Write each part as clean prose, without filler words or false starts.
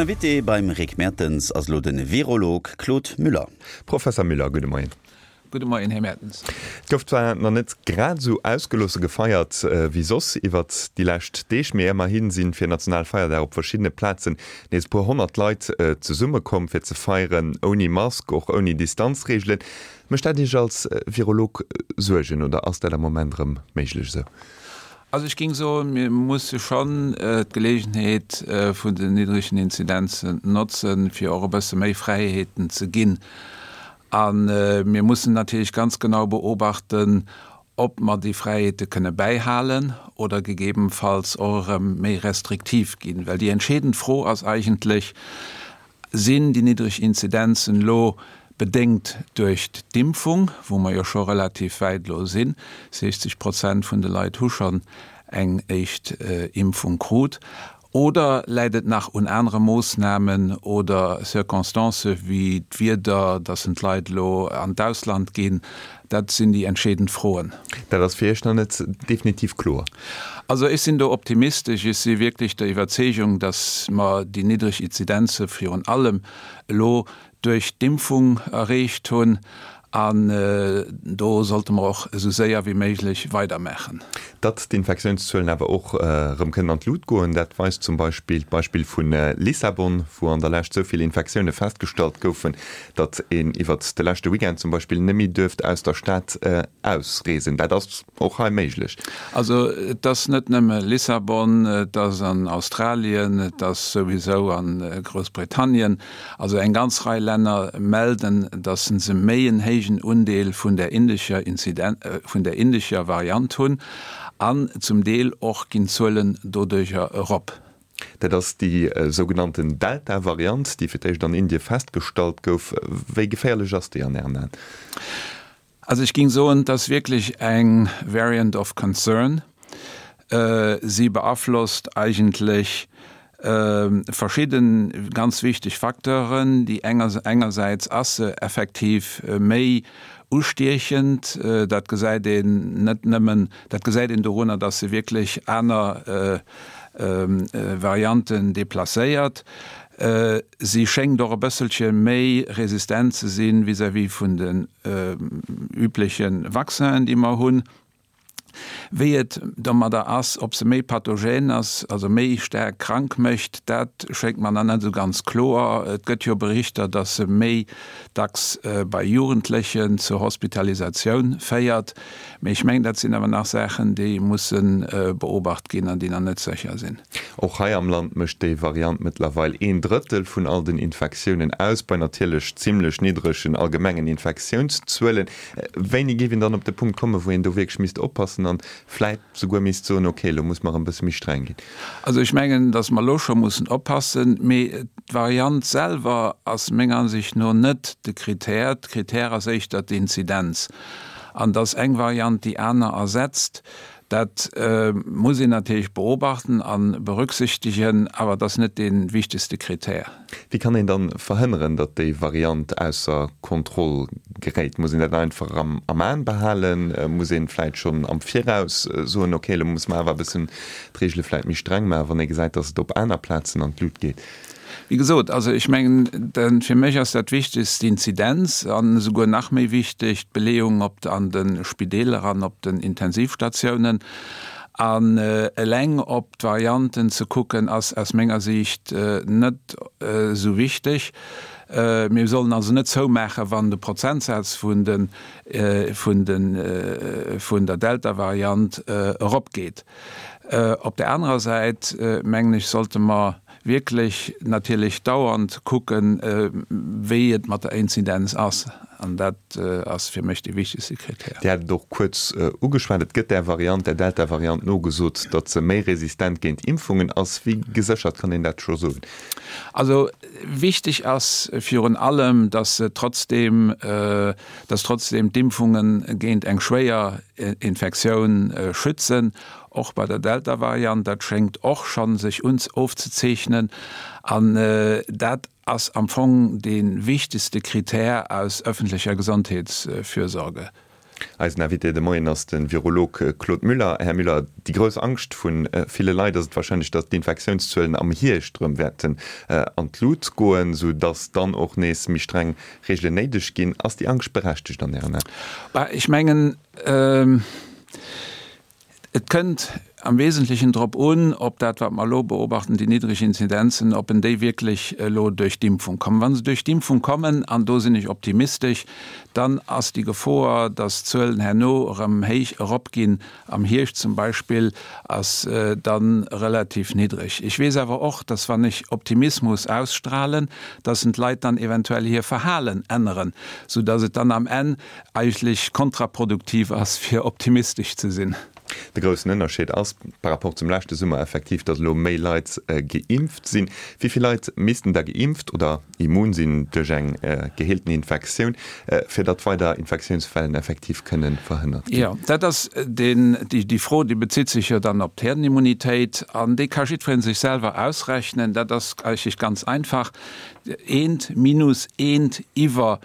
Invité beim Rick Mertens ass elo de Virolog Claude Müller. Professer Müller, gudde Moien. Gudde Moien, Här Mertens. Et gouf zwar nach net grad esou ausgeloosse gefeiert wéi soss iwwert déi lescht Deeg, mee ëmmerhi si fir Nationalfeierdag op verschiddene Plazen nees e puer 100 Leit zesummekomm fir ze feieren, ouni Mask, och ouni Distanzreegelen. Mécht dat Iech als Virolog Suergen oder ass dat am Moment erëm méiglech esou? Also ech géing soen, mir musse schonn d'Geleegenheet vun den niddregen Inzidenzen notzen, fir och e bësse méi Fräiheeten ze ginn. A mir mussen natierlech ganz genau beobachten, ob mer déi Fräiheete kënne bäihalen oder gegebenfalls och erëm méi restriktiv ginn. Well déi entscheedend Fro ass eigentlech, Sinn déi niddreg Inzidenzen elo bedéngt duerch d'Impfung, wou mer jo scho relativ wäit elo sinn, 60 Prozent vun de Leit hu schonn eng éischt Impfung krut, Oder läit et nach un anere Moossnamen oder Circonstancë wéi d'Wieder, datt en d'Leit elo an d'Ausland ginn? Dat sinn déi entscheedend Froen. Dat ass fir Iech nach net definitiv kloer? Also ech sinn do optimistesch. Ech si wierklech der Iwwerzeegung, datt mer déi niddreg Inzidenze virun allem elo duerch d'Impfung erreecht hunn an do sollte mer och esou séier wéi méiglech weidermaachen. Datt d'Infektiounszuelen awer och erëm kënnen an d'Lut goen, dat weist zum Beispill d'Beispill vu Lissabon, wou an der Lescht esou vill Infektioune festgestallt goufen, datt een iwwert de leschte Weekend zum Beispill net méi duerft aus der Stad ausreesen. Dat ass och hei méiglech. Also et ass net nëmme Lissabon, et ass an Australien, et ass souwisou a Groussbritannien. Also eng ganz Rei Länner melden, datt se méi en héijen Undeel vun der indescher Inziden-, vun der indescher Variant hunn an zum Deel och ginn d'Zuelen doduercher erop. Dat ass déi sougenannten Delta-Variant, déi fir d'éischt an Indie festgestallt gouf. Wéi geféierlech ass déi an Ären Aen? Also ech géing soen, et ass wierklech eng Variant of concern. Si beaflosst eigentlech verschidde ganz wichteg Facteuren. Déi engersäits ass se effektiv méi ustiechend, dat gesäit een net nëmmen, dat gesäit een dorunner, datt se wierklech aner Varianten deplacéiert. Si schéngt och e bësselche méi resistent ze si vis-à-vis vun den übleche Vaccinen, déi mer hunn. Wéi et domadder ass, ob se méi pathogen ass, also méi staark krank mécht, dat schéngt mer nach net esou ganz kloer. Et gëtt jo Berichter, datt se méi dacks bei Jugendlechen zur Hospitalisatioun féiert. Mee ech mengen, dat sinn awer nach Saachen, déi musse beobacht ginn an déi nach net sécher sinn. Och hei am Land mécht déi Variant mëttlerweil een Drëttel vun all den Infektiounen aus, bei natierlech zimmlech niddregen allgemengen Infektiounszuelen. Wéini géif een dann op de Punkt kommen, wou een do wierklech misst oppassen an vläit souguer misst soen, ok, elo muss mer erëm e bësse méi streng ginn? Also ech mengen, datt mer elo scho mussen oppassen, mee d'Variant selwer ass menger Ansicht no net de Kritär. De Kritär ass éischter d'Inzidenz. An datt eng Variant déi aner ersetzt, dat muss een natierlech beobachten a berücksichtegen, awer et ass net dee wichtegste Kritär. Wéi kann een dann verhënneren, datt déi Variant ausser Kontroll geréit? Muss een dat einfach am Aen behalen? Muss een vläit schonn am Viraus soen, ok, elo musse mer awer e bëssen d'Reegele vläit méi streng maachen, wann ee gesäit, datt et op aner Plazen an d'Lut geet? Wéi gesot, also ech mengen, fir mech ass dat Wichtegst d'Inzidenz an esouguer nach méi wichteg d'Beleeung op an de Spideeler an op den Intensivstatiounen. An eleng op d'Varianten ze kucken, ass aus menger Siicht net esou wichteg. Mir sollen also net zoumaachen, wann de Prozentsaz vun de vun de vun der Delta-Variant eropgeet. Op där anerer Säit, mengen ech, sollte mer wierklech natierlech dauernd kucken, wéi et mat der Inzidenz ass. An dat ass fir mech dee wichtegste Krittär. Dir hat et och kuerz ugeschwat, Et gëtt där Variant, där Delta-Variant nogesot, datt se méi resistent géint Impfungen ass. Wéi geséchert kann een dat scho soen? Also wichteg ass virun allem, datt se trotzdeem, datt trotzdeem d'Impfunge géint eng schwéier Infektioun schützen. Och bei der Delta-Variant, dat schéngt och scho sech ofzezeechnen. An dat ass am Fong dee wichtegste Krittär aus öffentlecher Gesondheetsfürsorge. Eisen Invité de Moien ass de Virolog Claude Müller. Här Müller, déi grouss Angscht vu ville Leit ass et warscheinlech, datt d'Infektiounszuelen am Hierscht erëm wäerten an d'Lut goen, sou datt dann och nees méi streng Reegelen néideg ginn. Ass déi Angscht berechtegt an Ären Aen? Ech mengen, Et kënnt am Wesentlechen drop un, ob dat, wat mer elo beobachten, déi niddreg Inzidenzen, ob en déi wierklech elo duerch d'Impfung kommen. Wa se duerch d'Impfung kommen, an do sinn ech optimistesch, dann ass déi Gefoer, dass d'Zuelen herno erëm héich eropginn, am Hierscht zum Beispill, ass da relativ niddreg. Ech weess awer och, dass wann ech Optimismus ausstrahlen, dass en d'Leit dann eventuell hir Verhalen änneren, soudass et dann am Enn eigentlech kontraproduktiv ass fir optimistesch ze sinn. De groussen Ënnerscheed ass par rapport zum leschte Summer effektiv, datt elo méi Leit geimpft sinn. Wéi vill Leit missten da geimpft oder immun sinn duerch eng geheelten Infektioun, fir datt weider Infektiounswellen effektiv kënne verhënnert ginn? Jo, dat ass deen, déi Fro, déi bezitt sech jo dann op d'Herdenimmunitéit an déi ka jiddweree sech selwer ausrechnen. Dat ass eigentlech ganz einfach, Eent minus eent iwwer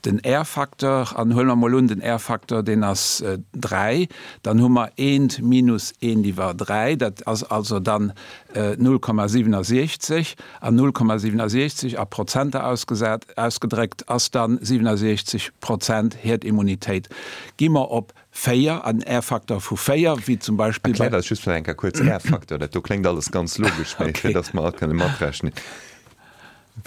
Den R-Facteur, an huele mer mol un, den R-Facteur, deen ass 3, dann hu mer eent minus eent iwwer 3, dat ass also dann 0,67, an 0,67 a Prozenter ausgesat, ausgedréckt ass dann 67 Prozent Herdimmunitéit. Gi mer op 4, an R-Facteur vu 4, wéi zum Beispill bei. Erkläert eis just nach eng Kéier kuerz R-Facteur, dat do kléngt alles ganz logesch, mee fir datt mer all kënne matrechnen.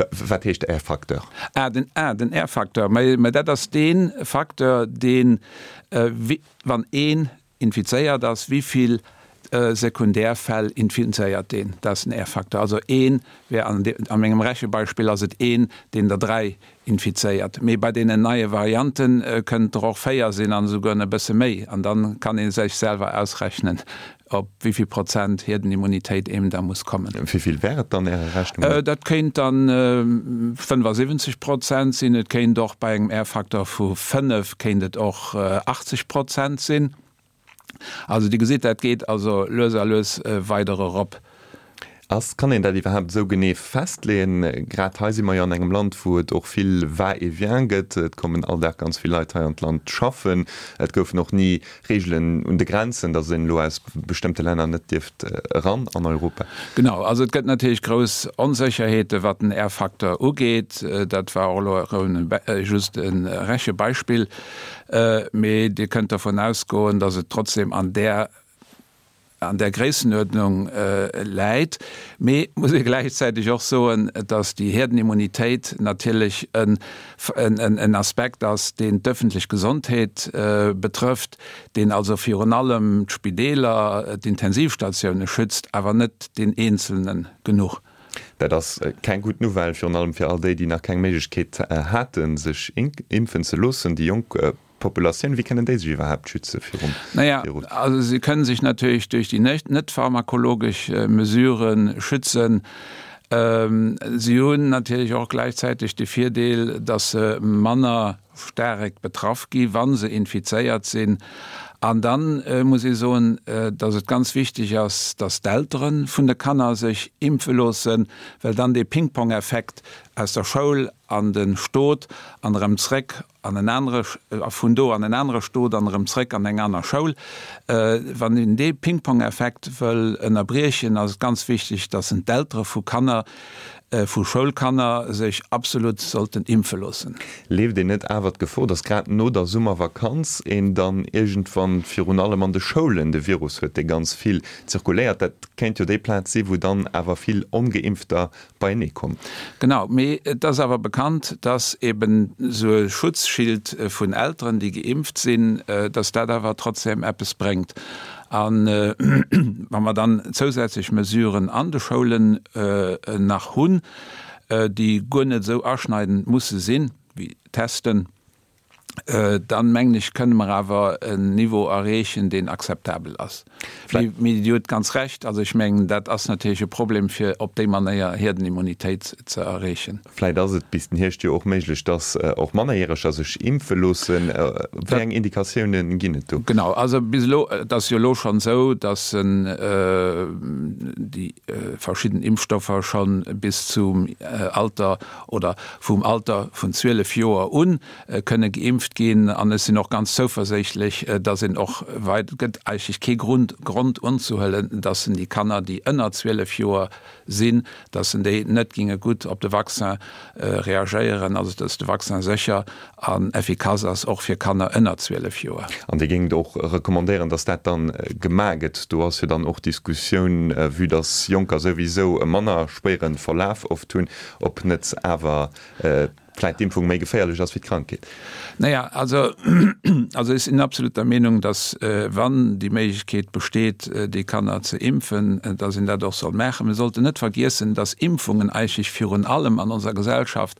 Wat heescht R-Facteur? Ah, den, ah, den R-Facteur, mä, mä dat ass dee Facteur, deen, wann een infizéiert ass, wéi vill Sekundärfäll infizéiert deen? Dat ass den R-Facteur. Also een wär an, a mengem Rechebeispill ass et een, deen der 3 infizéiert. Mee bei deenen neie Variante kënnen et der och 4 sinn an esouguer e bësse méi. An dann kann ee sech selwer ausrechnen, op wéi vill Prozent Hierdenimmunitéit eem da muss kommen. Wéi vill wär et dann Ärer Rechnung no? Dat kéint dann 75 Prozent sinn. Et kéint och bei engem R-Facteur vu 5 kéint et och 80 Prozent sinn. Also Dir gesitt, dat geet also lues a lues weider erop. Ass, kann een dat iwwerhaapt esou genee festleeën? Grad hei si mer jo an engem Land, wou et och vill Va-et-vient gëtt. Et kommen all Dag ganz vill Leit hei an d'Land schaffen. Et goufen och ni Reegelen un de Grenzen, datt een elo aus bestëmmte Länner net dierft eran an Europa. Genau, also et gëtt natierlech grouss Onsécherheete wat den R-Facteur ugeet. Dat war och elo erëm just e Rechebeispill. Mee Dir kënnt dervun ausgoen, datt et trotzdem an där an där Gréissenuerdnung läit. Mee et muss ee gläichzäiteg och soen, datt déi Herdenimmunitéit natierlech en Aspekt ass, deen d'ëffentlech Gesondheet betrëfft, deen also virun allem d'Spideeler, d'Intensivstatioune schützt, awer net deen Eenzelne genuch. Dat ass keng gutt Nouvelle, virun allem fir all déi, déi nach keng Méiglechkeet haten, sech impfen ze loossen, déi jonk Populatioun, wéi kënnen déi sech iwwerhaapt schütze virum Virus? Naja, also se kënnen sech natierlech duerch déi net pharmakologesch Mesurë schützen. Si hunn natierlech och gläichzäiteg de Virdeel, datt se manner staark betraff gi wa se infizéiert sinn. An da muss ee soen, datt et ganz wichteg ass, datt d'Eltere vun de Kanner sech impfe loossen, well dann dee Pingpong-Effekt aus der Schoul an de Stot an erëm zréck an en anere, a vun do an en anere Stot an erëm zréck an eng aner Schoul. Wann een dee Pingpong-Effekt wëll ënnerbriechen, ass et ganz wichteg, dass en d'Eltere vu Kanner, vu Schoulkanner sech absolut sollten impfe loossen. Leeft een net awer d'Gefor, dass grad no der Summervakanz een dann iergendwann virun allem an de Schoulen de Virus huet, dee ganz vill zirkuléiert? Dat kéint jo déi Plaz si wou dann awer vill Ongeimpfter beienee kommen. Genau, mee et ass awer bekannt, dass eben esou e Schutzschild vun Elteren, déi geimpft sinn, dass dat awer trotzdem eppes bréngt. A wa mer dann zousätzlech Mesuren an de Schoulen nach hunn, déi guer net esou aschneidend musse sinn, wéi Testen, dann mengen ech, kënne mer awer en Niveau erreechen, deen akzeptabel ass. Mee Dir hutt ganz Recht, also ech mengen, dat ass natierlech e Problem, fir op déi Manéier Hierdenimmunitéit ze erreechen. Vläicht ass et bis den Hierscht jo och méiglech, dass och Mannerjäreger sech impfe loossen. Wéi eng Indikatioune ginn et do? Genau, also bis elo, et ass jo elo schonn esou, dass déi verschidden Impfstoffer scho bis zum Alter oder vum Alter vun 12 Joer un kënne geimpft. geimpft ginn. An ech sinn och ganz zouverséichtlech, dass een och wei, et gëtt eigentlech kee Grund, Grond unzehuelen, dass en déi Kanner, déi ënner 12 Joer sinn, dass en déi net ginge gutt op de Vaccin reagéieren, also dass de Vaccin sécher an effikass ass, och fir Kanner ënner 12 Joer. An Dir géingt och recommandéieren, dass dat dann gemaach gëtt. Do ass jo dann och d'Diskussioun, vue dass Jonker souwisou e manner schwéiere Verlaf oft hunn, ob net awer vläit d'Impfung méi geféierlech ass wéi d'Krankheet. Naja, also, also ech sinn absolut der Meenung, dass, wann déi Méiglechkeet besteet, déi Kanner ze impfen, dass een dat och soll maachen. Mir sollten net vergiessen, dass Impfungen eigentlech virun allem an onser Gesellschaft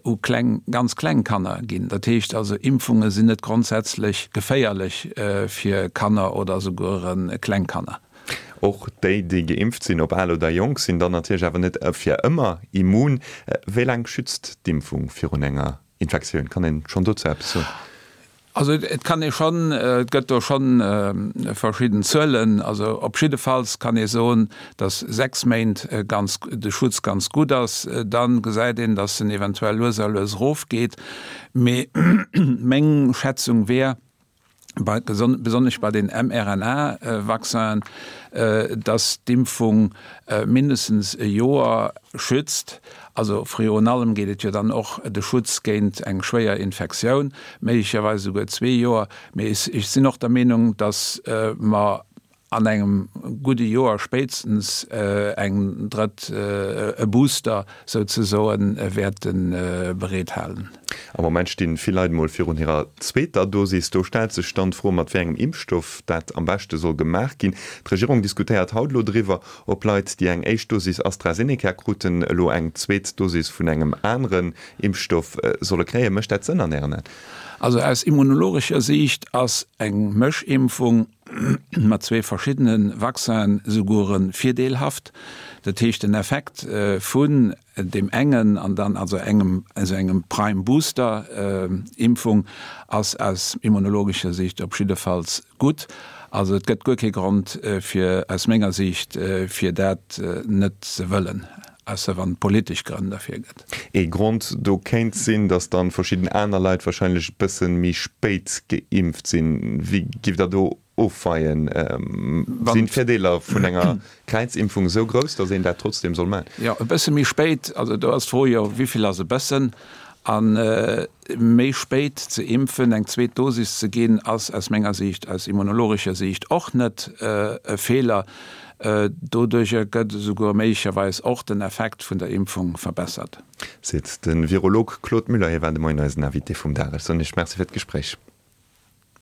u kleng, ganz kleng Kanner ginn. Dat heescht also, Impfunge sinn net grondsätzlech geféierlech fir Kanner oder souguer kleng Kanner. Och déi, déi geimpft sinn, ob al oder jonk, sinn dann natierlech awer net fir ëmmer immun. Wéi laang schützt d'Impfung virun enger Infektioun? Kann een schonn dozou eppes soen? Also et kann ee schonn, et gëtt do schonn verschidden Zuelen. Also op jiddefalls kann ee soen, datt 6 Méint ganz, de Schutz ganz gutt ass. Da gesäit een, datt en eventuell lues a lues erofgeet. Mee meng Schätzung wär, bei, besonnesch bei den mRNA-Vaccinen, dass d'Impfung mindestens e Joer schützt. Also virun allem geet et jo dann och de Schutz géint eng schwéier Infektioun, méiglecherweis esouguer zwee Joer. Mee ech sinn och der Meenung, dass mer an engem gudde Joer spéitstens eng drëtt, e Booster souzesoen, wäerte bereet halen. Am Moment sti vill Leit emol virun hirer zweeter Dosis. Do stellt sech dann d'Fro, mat wéi engem Impfstoff dat am beschte soll gemaach ginn. D'Regierung diskutéiert haut elo driwwer, ob Leit, déi eng éischt Dosis AstraZeneca kruten, elo eng zweet Dosis vun engem aneren Impfstoff solle kréien. Mécht dat Sënn an Ären Aen? Also aus immunologescher Siicht ass eng Mëschimpfung mat zwee verschiddene Vaccinen souguer virdeelhaft. Dat heescht, den Effekt vun deem engen an dann also engem esou engem Prime Booster Impfung ass aus immunologescher Siicht op jiddefalls gutt. Also et gëtt guer kee Grond fir aus menger Siicht fir dat net ze wëllen, ausser wann et politesch Grënn derfir gëtt. Ee Grond do kéint sinn, datt dann verschidden aner Leit wahrscheinlech e bëssen méi spéit geimpft sinn. Wéi giff Der do ofweien? Sinn d'Virdeeler vun enger Kräizimpfung esou grouss, datt een dat trotzdem soll maachen? Jo, e bësse méi spéit. Also do ass d'Fro jo, wéivill ass e bëssen? A méi spéit ze impfen, eng zweet Dosis ze ginn, ass aus menger Siicht, aus immunologescher Siicht och net e Feeler. Doduerjer gëtt esouguer méiglecherweis och den Effekt vun der Impfung verbessert. Seet de Virolog Claude Müller. Hie war de Moien eisen Invité vum Dag. Ech soen Iech Merci fir d'Gespréich.